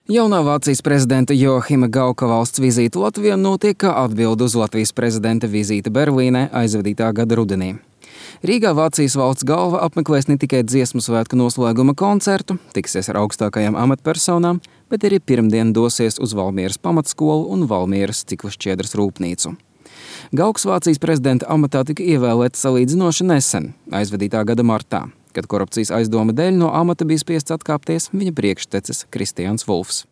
Jaunā Vācijas prezidenta Joahima Gauka valsts vizīte Latvijā notiek kā atbilde uz Latvijas prezidenta vizīti Berlīnē aizvadītā gada rudenī. Rīgā Vācijas valsts galva apmeklēs ne tikai dziesmu svētku noslēguma koncertu, tiksies ar augstākajām amatpersonām, bet arī pirmdien dosies uz Valmieras pamatskolu un Valmieras ciklu šķiedras rūpnīcu. Gauks Vācijas prezidenta amatā tika ievēlēts salīdzinoši nesen, aizvadītā gada martā, kad korupcijas aizdoma dēļ no amata bija spiests atkāpties viņa priekštecis Kristians Vulfs.